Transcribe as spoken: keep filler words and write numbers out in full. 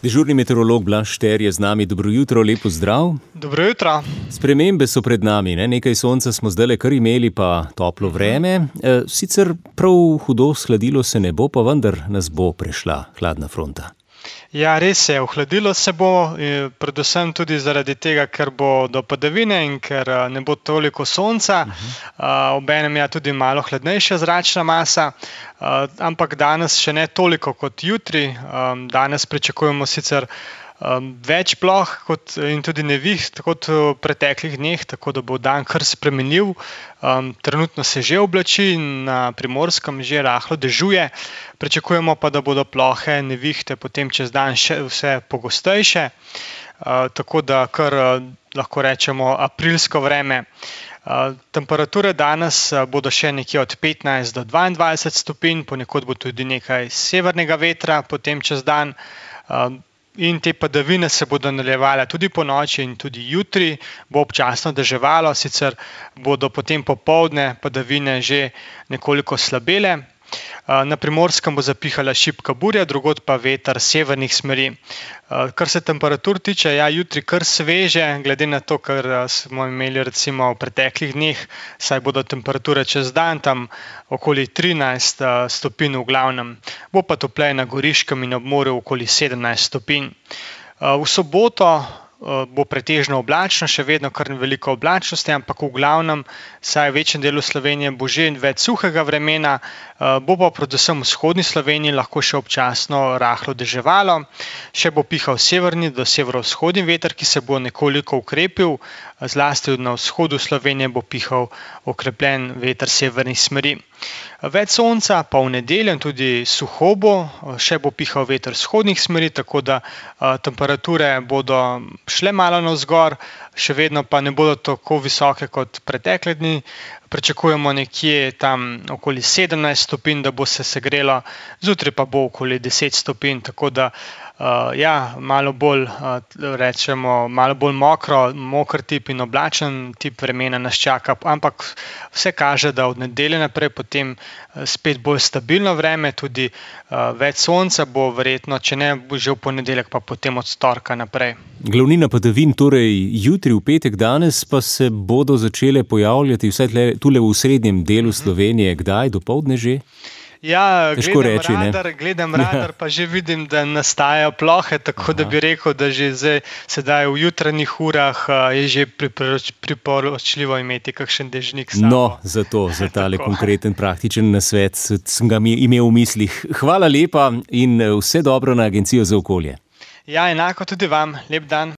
Dežurni meteorolog Blaž Šter je z nami. Dobro jutro, lep pozdrav. Dobro jutro. Spremembe so pred nami, ne? Nekaj sonca smo zdajle kar imeli, pa toplo vreme. E, sicer prav hudo shladilo se ne bo, pa vendar nas bo prešla hladna fronta. Ja, res je, ohladilo se bo, predvsem tudi zaradi tega, ker bo do padavine in ker ne bo toliko sonca, uh-huh. Obenem je tudi malo hladnejša zračna masa, uh, ampak danes še ne toliko kot jutri. Um, danes pričakujemo sicer um, več ploh kot, in tudi neviht kot v preteklih dneh, tako da bo dan kar spremenljiv. Um, trenutno se že oblači in na Primorskem že rahlo dežuje. Pričakujemo pa, da bodo plohe, nevihte potem čez dan še vse pogostejše, uh, tako da kar uh, lahko rečemo aprilsko vreme. Uh, temperature danes uh, bodo še nekje od petnajst do dvaindvajset stopinj, ponekod bo tudi nekaj severnega vetra potem čez dan. Uh, In te padavine se bodo nadaljevale tudi ponoči in tudi jutri bo občasno deževalo, sicer bodo potem popoldne padavine že nekoliko slabele. Na Primorskem bo zapihala šibka burja, drugod pa veter severnih smeri. Kar se temperatur tiče, ja, jutri kar sveže, glede na to, kar smo imeli recimo v preteklih dneh, saj bodo temperature čez dan tam okoli trinajst stopinj v glavnem. Bo pa topleje na Goriškem in ob morju okoli sedemnajst stopinj. V soboto bo pretežno oblačno, še vedno kar veliko oblačnosti, ampak v glavnem, saj v večjem delu Slovenije bo že več suhega vremena, bo pa predvsem v vzhodni Sloveniji lahko še občasno rahlo deževalo, še bo pihal severni do severovzhodni veter, ki se bo nekoliko ukrepil, zlasti na vzhodu Slovenije bo pihal okrepljen veter severnih smeri. Več sonca pa v nedeljo in tudi suho bo, še bo pihal veter vzhodnih smeri, tako da a, temperature bodo šle malo navzgor, še vedno pa ne bodo tako visoke kot pretekle dni. Pričakujemo nekje tam okoli sedemnajst stopinj, da bo se segrelo, zjutraj pa bo okoli deset stopinj, tako da uh, ja, malo bolj, uh, rečemo, malo bolj mokro, moker tip in oblačen tip vremena nas čaka, ampak vse kaže, da od nedelje naprej potem spet bolj stabilno vreme, tudi uh, več sonca bo verjetno, če ne že v ponedeljek, pa potem od torka naprej. Glavnina padavin torej jutri, v petek, danes pa se bodo začele pojavljati vsaj tle, tule v srednjem delu Slovenije. Kdaj, dopoldne že? Ja, Težko gledam reči, radar, gledam radar, pa že vidim, da nastajajo plohe, tako Aha. da bi rekel, da že zdaj, sedaj v jutranjih urah je že priporoč, priporočljivo imeti kakšen dežnik s sabo. No, zato, za tale konkreten praktičen nasvet sem ga imel v mislih. Hvala lepa in vse dobro na Agencijo za okolje. Ja, enako tudi vam. Lep dan.